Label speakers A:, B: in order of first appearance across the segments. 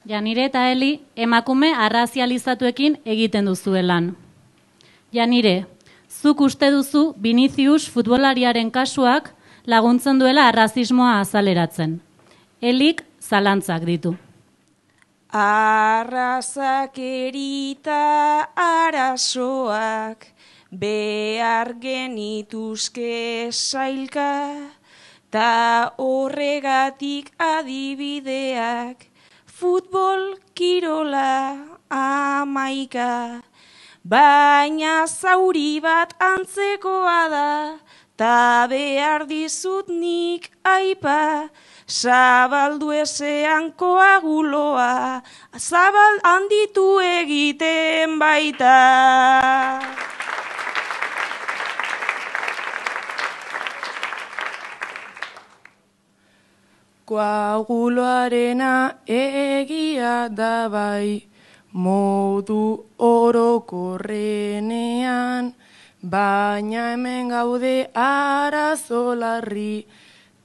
A: Janire eta Eli emakume arrazializatuekin egiten duzue lan. Janire, zuk uste duzu Vinicius futbolariaren kasuak laguntzen duela arrazismoa azaleratzen. Elik zalantzak ditu.
B: Arrazakerita arazoak behar genituzke sailka, ta horregatik adibideak futbol kirola amaika. Baina zauri bat antzekoa da, ta behar dizut nik aipa, zabaldu ezean koaguloa, zabal handitu egiten baita.
C: Koaguloarena egia da bai, modu orokorrenean, baina hemen gaude arazo larri,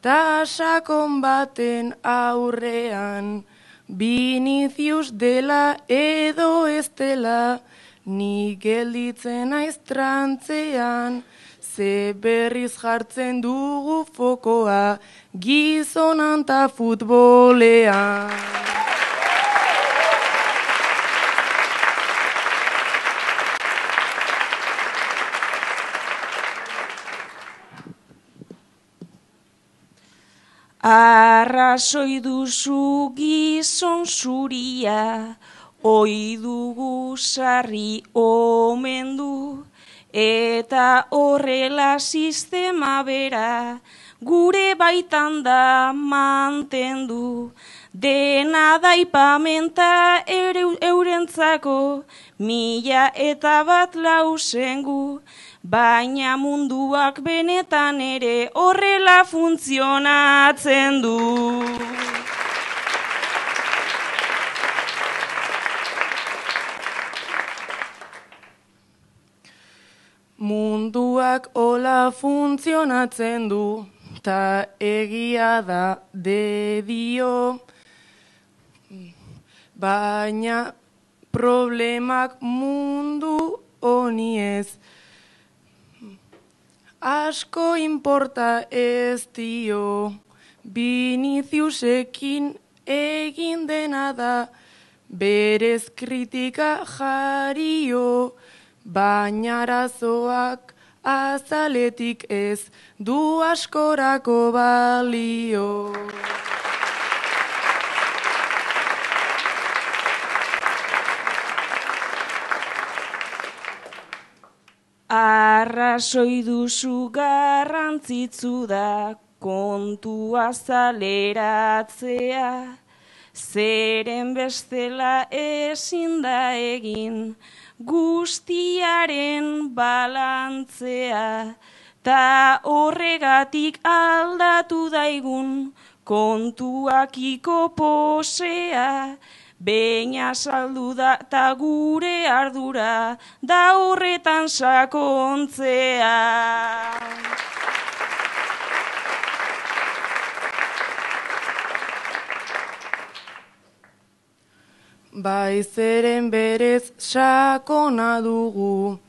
C: ta sakon baten aurrean. Vinicius dela edo ez dela, ni gelditzen naiz trantzean, ze berriz jartzen dugu fokoa, gizonan ta futbolean.
B: Arrazoi duzu gizon zuria, oi dugu sarri omendu, eta horrela sistema bera, gure baitan da mantendu. Dena daipamenta eurentzako, 1001 lausengu, baina munduak benetan ere horrela funtzionatzen du.
C: Munduak hola funtzionatzen du, ta egia da dedio, baina problemak mundu honi ez. Asko importa ez dio, Viniciusekin egin dena da, berez kritika jario, baina arazoak azaletik ez du askorako balio.
B: Arrazoi duzu garrantzitsu da kontua azaleratzea, zeren bestela ezin da egin guztiaren balantzea, ta horregatik aldatu daigun kontuakiko posea, baina saldu da ta gure ardura da horretan sakontzea.
C: Baizeren berez sakona dugu,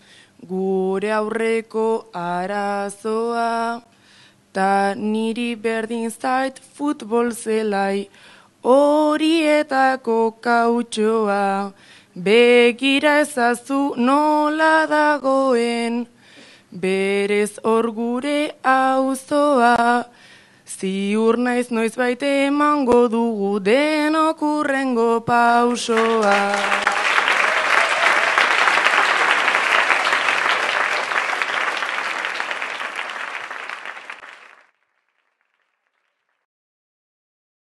C: gure aurreko arazoa, ta niri berdin zait futbol zelai, horietako kautxoa, begira ezazu nola dagoen, berez hor gure auzoa, ziur naiz noizbait emango dugu denok hurrengo pausoa.